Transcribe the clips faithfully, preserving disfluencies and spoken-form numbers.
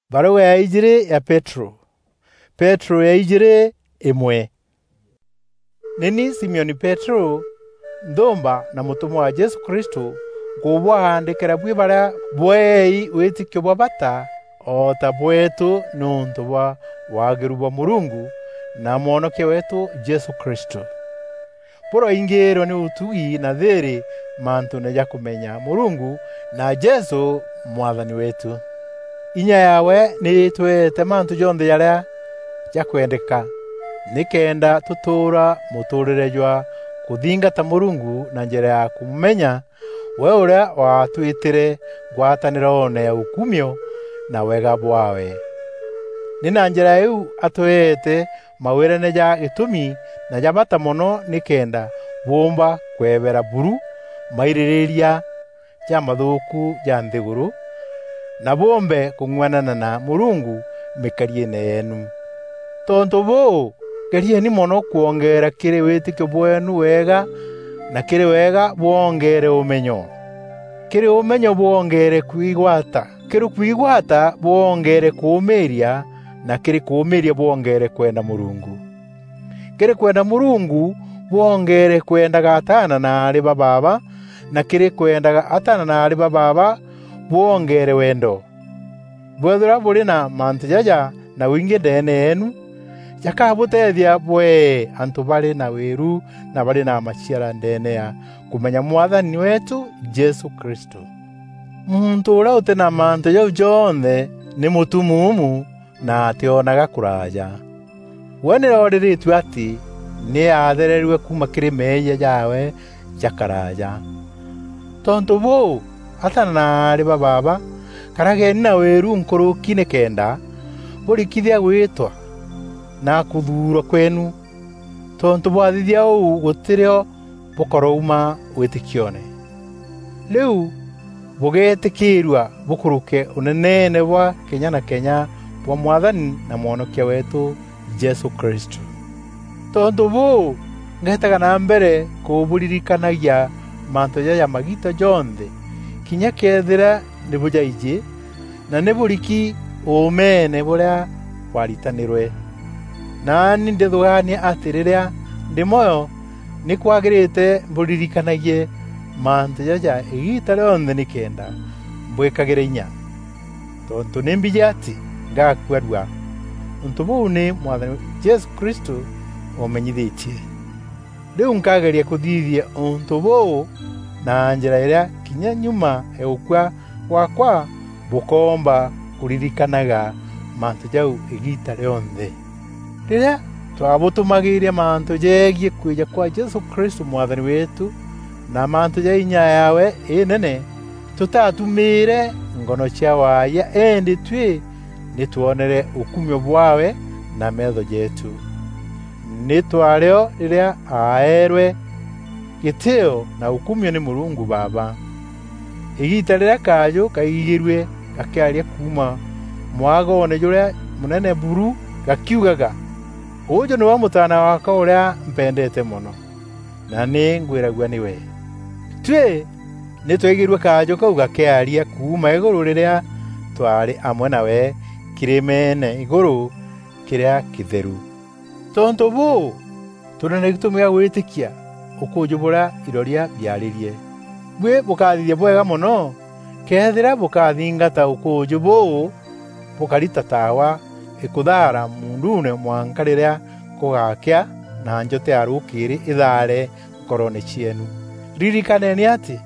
Barua ya ijiri ya Petero. Petero ya ijiri, imwe. Ni ni Simioni Petero, nthumba na mutumwa wa Jesu Kristu, nkubwaandikira bui baria bweei witikio bwa bata o ta bweetu niuntu bwa waagiru bwa Murungu na Mwonokia weetu Jesu Kristu. Buraingiirwe ni utugi na thiiri mantuune ja kumenya Murungu na Jesu Mwathani weetu. Inya yaawe ni itweete mantu jonthe jaria jakwendeka, nikenda tutuura mutuurire jwa kuthingata Murungu na njira ya kumumenya, we uria waatwitire ngwataniroone ya ukumio na wega bwaawe. Ni na njira iu atweete mawirane ja gitumi na ja bata mono, nikenda buumba kwebera buru maiririria jamathuuku ja nthiguru, na buumbe kung'uanana na Murungu mikariene yeenu. Tontu buu, gerieni mono kwongeera kiri witikio bweenu wega, na kiri wega bwongeere umenyo, kiri umenyo bwongeere kwigwata, kiri kwigwata bwongeere kuumiiria, na kiri kuumiiria bwongeere kwenda Murungu, kiri kwenda Murungu bwongeere kwendaga ataana na aari ba baaba, na kiri kwendaga ataana na aari ba baaba bwongeere wendo. Bwethirwa buri na mantu jaja na wingi ndeene yeenu, jakabuteethia bwee antu bari na wiru na bari na maciara ndeene ya kumenya Mwathani weetu Jesu Kristu. Muntu uria uti na mantu jau jonthe ni mutumuumu na ationaga kuraaja. We ni rooriritue ati ni aathererue kuuma kiri meeyia jaawe ja karaaja. Tontu buu, ataana na aari ba baaba, karageni na wiru nkuruki nikenda burikithia gwitwa na kuthuurwa kweenu. Tontu bwathithia uu, gutirio bukarouma witikioone. Riu bugeetikiirua bukuruke uneneene bwa kenya na kenya bwa Mwathani na Mwonokia weetu Jesu Kristu. Tontu buu, ngeetaga na mbere kuburirikanagia mantu jaja magiita jonthe, kinya keethira ni bujaiji, na ni buriki uumeene buria bwaritanirwe. Naani ndithugaania ati riria ndi mwoyo, ni kwagirite mburirikanagie mantu jaja igiita rionthe nikenda mbwikagire inya, tontu ni mbiji ati ngakua rua. Untu buu ni Mwathani Jesu Kristu uumenyithitie. Riu nkageria kuthithia untu buu na njira iria kinya nyuma ya gukua gwakwa bukoomba kuririkanaga mantu jau igiita rionthe. Riria twabutumagiiria mantu jegie kwija kwa Jesu Kristu Mwathani weetu, na mantu ja inya yaawe inene, tutaatumiire ngono cia waayia, indi tui ni twonere ukumio bwaawe na meetho jeetu. Ni twario riria aaerwe gitio na ukumio ni Murungu Baaba. Igiita riria kaaju kaigigirue gakiaria kuuma mwagoone juria munene buru, gakiugaga, "Uuju niwe Mutaana waakwa uria mpendeete mono, na ni ngwiragua niwe." Tui ni twaigirue kaaju kau gakiaria kuuma iguru riria twaari amwe nawe kirimeene iguru kiria kitheru. Tontu buu, turi na gitumi gia gwitikia ukuuju buria iroria biaririe. Bui bukathithia bwega mono, kethira bukathingata ukuuju buu bukari ta taawa ikuthaara muunduune mwanka riria kugakea na njoto ya rukiiri ithaare nkoroone cieenu. Ririkaneni ati,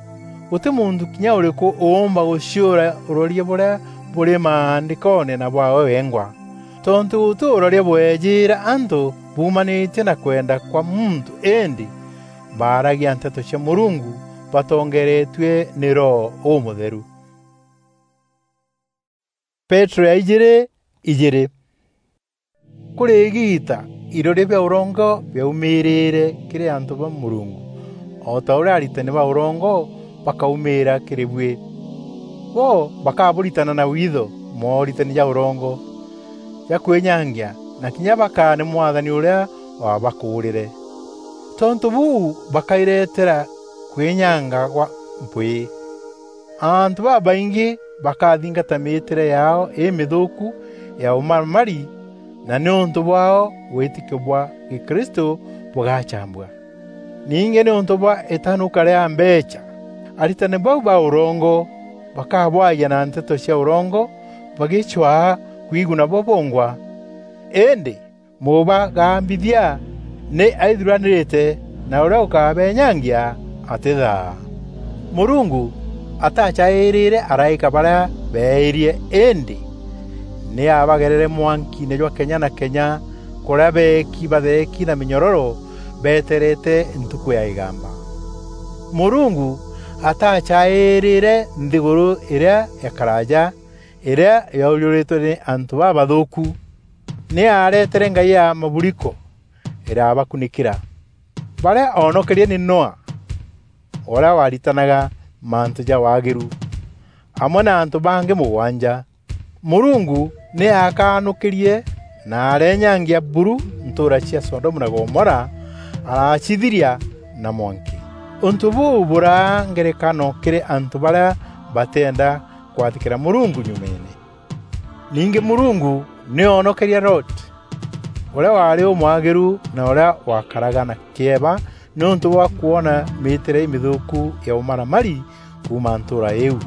guti muntu kinya uriku uumba guciura uroria buria buri maandikoone na bwaawe wengwa. Tontu guti uroria bweejiira antu buumanitie na kwenda kwa muntu, indi baaragia nteto cia Murungu batongeeretue ni Roho Umutheru. Petero ya ijiri, ijiri. Kuri igiita, iroria bia urongo biaumiriire kiri antu ba Murungu, o ta uria aritani ba urongo bakaumiira kiri bui. Bo bakaburitana na witho mooritani ja urongo, ja kwinyangia, na kinya bakaane Mwathani uria wabakuurire. Tontu buu bakairetera kwinyanga gwa mpwii. Antu babaingi bakathingata mîîtîre yaao îmîthûûku ya ûmaramari, na nîûntû bwaao wîtîkio bwa Gîkristû bûgacambua. Ningî nîûntû bwa îtanûka rîa mbeecha, aritani bau ba ûrongo bakabwagia na nteto cia ûrongo bagîcwaa kwiguna bo bongwa. Îndî mûbagambithia nî aithuranîrîte, na ûrîa ûkabenyangia atîthaa. Mûrungu atacaîrîre araîka barîa beeîrie, îndî nî aabagerere mwankiine jwa kenya na kenya, kûrîa beeki batheeki na mînyororo beetereete ntukû ya îgamba. Mûrungu atacaîrîre nthîgûrû îrîa ya karaaja, îrîa yaûjûrîtwe nî antû babathûûku. Nî aaretere ngai ya maburiko îrabakunîkîra. Barîa oonokerie nî Noa, ûrîa waaritanaga mantû ja waagîru, amwe na antû bangî mûgwanja. Mûrungu nî aakanûkîrie na arenyangia buru ntûûra cia Sodomu na Gomora, aracithiria na mwanki. Ûntû bûu bûraa ngerekano kîrî antû barîa batîenda kwathîkîra Mûrungu nyumeene. Ningî Mûrungu nî oonokerie Loti, ûrîa waarî ûmwagîru na ûrîa wakaraga na kîeba nîûntû bwa kwona mîîtîre îmîthûûku ya ûmaramari kuuma ntûûra îîu.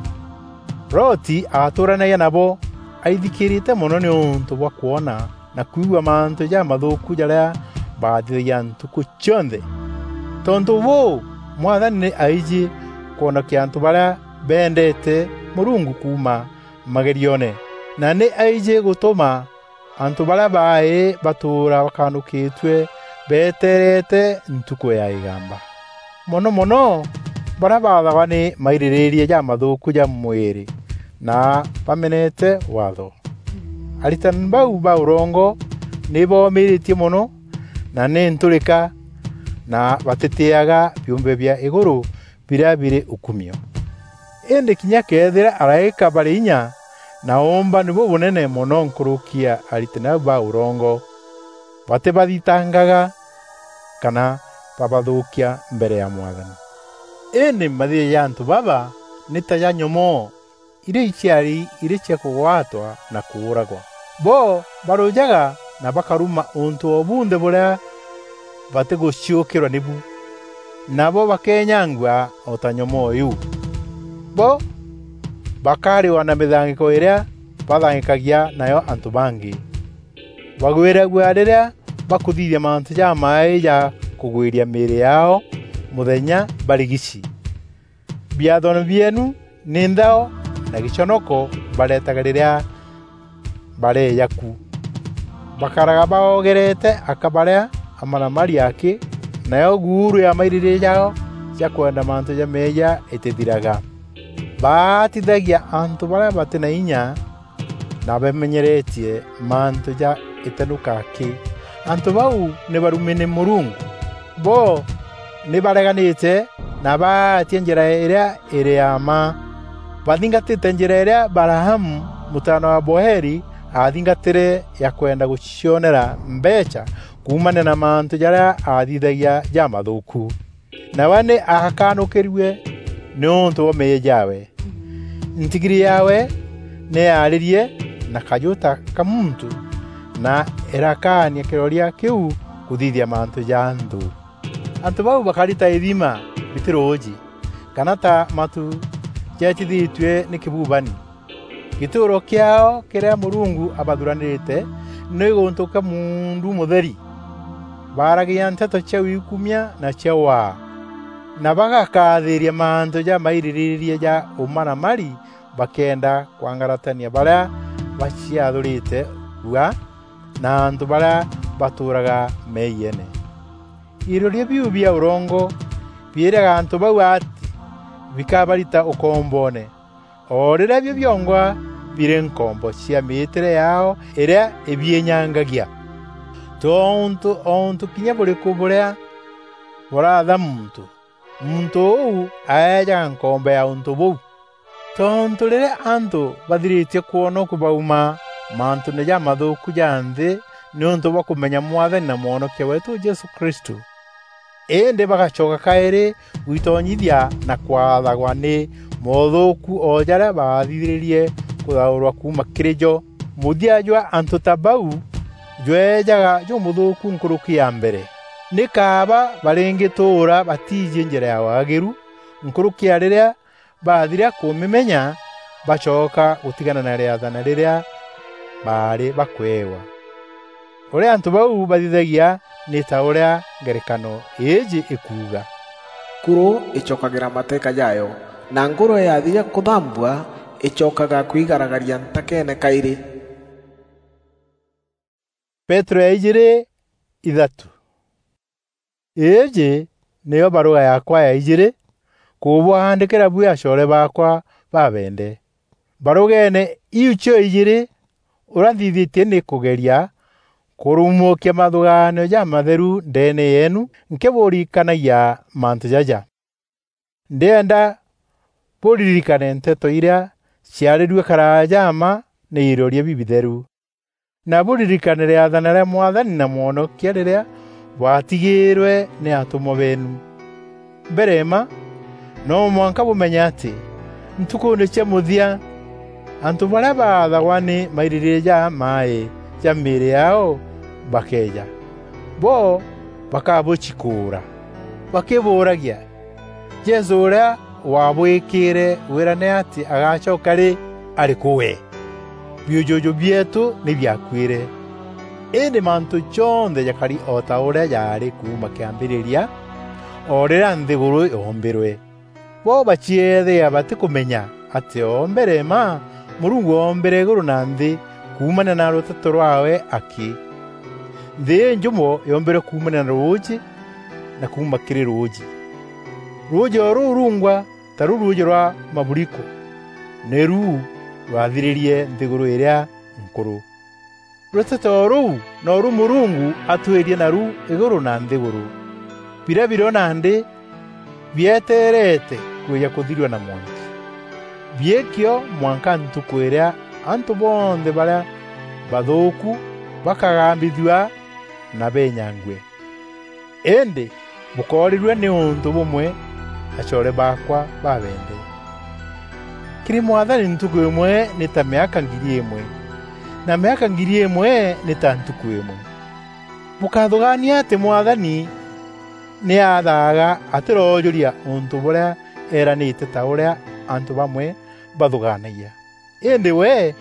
Loti aatûûranagia nabo aithikîrîte mono nîûntû bwa kwona na kwigua mantû jamathûûku jarîa baathithagia ntukû cionthe. Tontû bûû, Mwathani nî aijî kwonokia antû barîa beendeete Mûrungu kuuma magerioone, na nî aijî gûtûma antû barîa baaî batûûra bakanûkîtue betereete ntukû ya îgamba. Mono mono, barîa baathagwa nî mairîrîîria jamathûûku ja mwîrî na bamenete waatho. Aritani bau ba ûrongo nî boomîrîtie mono na nî ntûrîka, na batîtîîaga biûmbe bia îgûrû birîa birî ûkumio. Îndî kinya këethîra araîka barî inya na ûûmbani bûbûnene mono nkûrûki ya aritani bau ba ûrongo, batîbathitangaga kana babathûûkia mbere ya Mwathani. Îndî mathithia ja antû baba nî ta ja nyomoo irîa iciari irî cia kûgwatwa na kûûragwa. Bo barûjaga na bakaruma ûntû o bunthe bûrîa batîgûciûkîrwa nîbu, nabo bakenyangua o ta nyomoo îîu. Bo bakarîwa na mîthangîko îrîa bathangîkagia nayo antû bangî. Bagwîragua rîrîa bakûthithia mantû jamaaî ja kûgwîria mîîrî yaao mûthenya barîgici. Biathoone bieenu nî nthao na gîconoko baretaga rîrîa bareeja ku. Bakaraga baogerete aka barîa amaramari akî, nayo guuru ya mairîrîîria jaao ja kwenda mantû ja meeyia îtîthiraga. Baatithagia antû barîa batî na inya na bamenyeretie mantû ja îtenûka akî. Antû bau nî barumi nî Mûrungu. Bo nî bareganîte na baatia njîra îrîa îrî ya mma. Bathingatîte njîra îrîa Balaamu, mûtaana wa Boeli, aathingatîre ya kwenda gûcionera mbeecha kuumania na mantû jarîa aathithagia jamathûûku. Nawe nî aakanûkîrue nîûntû bwa meeyia jaawe. Ntigiri yaawe nî yaarîrie na kajû ta ka muntû, na îrakaania kîroria kîu kûthithia mantû ja nthû. Antû bau bakari ta îthima rîtî rûûjî, kana ta matu jeetithîtue nî kîbubani. Gîtûûro kîaao kîrîa Mûrungu abathuranîrîte nî gûntû kîa muundu mûtheri. Baaragia nteto cia wikumia na cia waa, na bagakathîîria mantû jamairîrîîria ja ûmaramari, bakenda kwangaratania barîa baciathûrîte rua na antû barîa batûûraga meeyiene. Iroria biu bia ûrongo biîraga antû bau atî bikabarita ûkomboone, o rîrîa bio biongwa birî nkombo cia mîîtîre yaao îrîa îbiînyangagia. Tontû o ûntû kinya bûrîkû bûrîa bûratha muntû, muntû ûu aejaga nkombo ya ûntû bûu. Tontû rîrîa antû bathirîtie kwonokua bauma mantûûne jamathûûku ja nthî nîûntû bwa kûmenya Mwathani na Mwonokia weetû Jesû Kristû, îndî bagacoka kaîrî gwitonyithia na kwathagwa nî mothuuku o jaria baathithiririe kuthaurwa kuuma kiri jo. Muthia jwa antu ta bau jweejaga jumuthuuku nkuruki ya mbere. Ni kaaba baringituura batiiji njira ya waagiru, nkuruki ya riria baathira kumimenya, bacoka gutigana na riathana riria baari bakweewa. Uria antu bau bathithagia ni ta uria ngerekano iiji ikuuga: "Kuru icokagira mateka jayo, na ngurwe yathira kuthambua, icokaga kwigaragaria ntakeene kairi." Petero ya ijiri, ithatu. Iiji niyo baruga yakwa ya ijiri kubuaandikira bui acoore baakwa babende. Barugeene iu cio ijiri, uria nthithitie ni kugeria kurumukia mathugaanio jamatheru ndeene yeenu nkiburirikanagia mantu jaja. Ndienda buririkane nteto iria ciarirue karaaja mma ni iroria bibitheru, na buririkane riathana ria Mwathani na Mwonokia riria bwatigiirwe ni atumwa beenu. Mbere mma, no mwanka bumenye ati ntukuune cia muthia, antu baria baathagwa ni maiririria ja mai ja miiri yao bakeeja. Bo bakabucikuura, bakibuuragia, "Jesu uria wabwikiire wira ni ati agacoka ri? Ari ku we? Biujuju bieetu ni biakuire." Indi mantu jonthe jakari o ta uria jaari kuuma kiambiriria, o riria nthiguru yoombirwe. Bo bacieethia batikumenya ati o mbere mma Murungu oombire iguru na nthi kuumania na ruteto rwaawe aki. Nthi injumo yoombirwe kuumania na ruuji na kuuma kiri ruuji. Ruuji o ruu rungwa taru ruuji rwa maburiko, niru rwathiririe nthiguru iria nkuru. Ruteto ruu noru Murungu atwirie naru iguru na nthiguru, biria birio nandi bieteerete kwija kuthirua na mwanki. Biikio mwanka ntuku iria antu bonthe baria bathuuku bakagambithua na benyangue. Indi bukoorirua ni untu bumwe, acoore baakwa babende. Kiri Mwathani ntuku imwe ni ta miaka ngiri imwe, na miaka ngiri imwe ni ta ntuku imwe. Bukathugaania ati Mwathani ni athaaga atiroojuria untu buria eeranite ta uria antu bamwe bathugaanagia. Indi we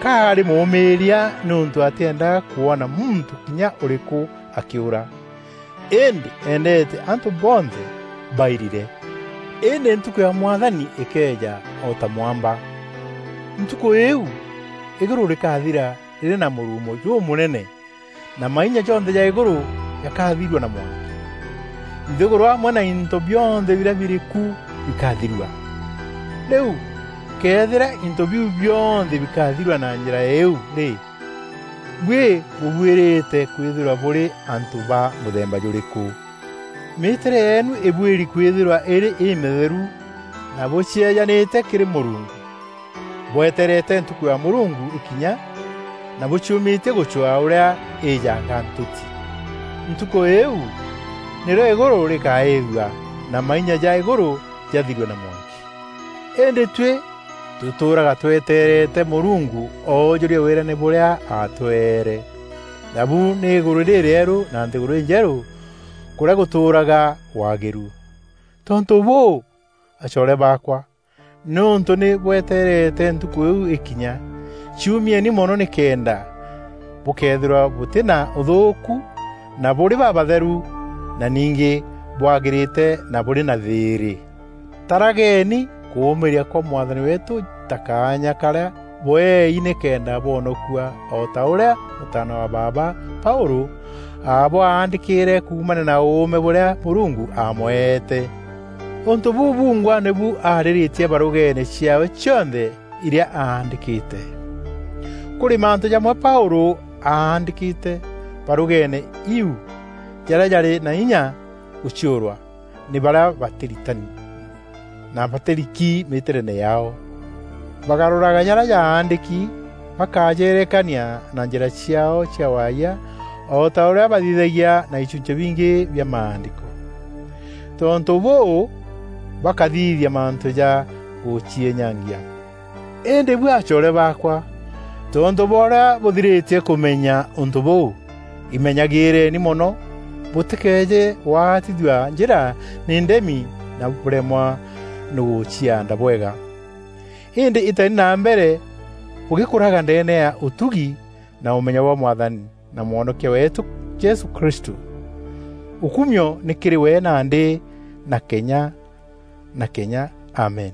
kaari muumiiria niuntu atiendaga kwona muntu kinya uriku akiura. Indi eendete antu bonthe bairire. Indi ntuku ya Mwathani ikeeja o ta mwamba. Ntuku iu, iguru rikathira riri na murumo jumunene, na mainya jonthe ja iguru jakathirua na mwanki. Nthiguru amwe na into bionthe biria biri ku bikathirua. Riu, kethira into biu bionthe bikathirua na njira iu ri, bui bubuirite kwithirwa buri antu ba muthemba juriku? Miitire yeenu ibuiri kwithirwa iri imitheru na bucieejanite kiri Murungu, bweterete ntuku ya Murungu ikinya, na buciumitie gucwaa uria iijanga ntuti. Ntuku iu nirio iguru rikaithua, na mainya ja iguru jathirue na mwanki. Indi tui tutuuraga tweteerete Murungu oojurie wirane buria aatweere, nabu ni iguru ririeru na nthiguru injeru, kuria gutuuraga waagiru. Tontu buu, acoore baakwa, niuntu ni bweteerete ntuku iu ikinya, ciumieni mono nikenda bukeethirwa buti na uthuuku, na buri babatheru, na ningi bwagirite na buri na thiiri. Tarageni kuumiria kwa Mwathani weetu ta kaanya karia bweei nikenda bwonokua, o ta uria mutaana wa baaba Paulu aabwaandikire kuumania na uume buria Murungu aamweete. Untu buu bungwa nibu aariritie barugeene ciaawe cionthe iria aandikite. Kuri mantu jamwe Paulu aandikite barugeene iu jaria jari na inya guciurwa ni baria batiritani na batiriki miitirene yaao. Bagaruraga jaria jaandiki, bakajerekania na njira ciaao cia waayia, o ta uria bathithagia na ichunchi bingi bia Maandiko. Tontu buu, bakathithia mantu ja gucienyangia. Indi bui acoore baakwa, tontu bwa uria buthiritie kumenya untu buu, imenyagireni mono, butikeeje gwatithua njira ni ndemi na buremwa ni gucianda bwega. Indi iteni na mbere bugikuraga ndeene ya utugi na umenyo bwa Mwathani na Mwonokia weetu Jesu Kristu. Ukumio ni kiri we nandi na kenya na kenya. Amen.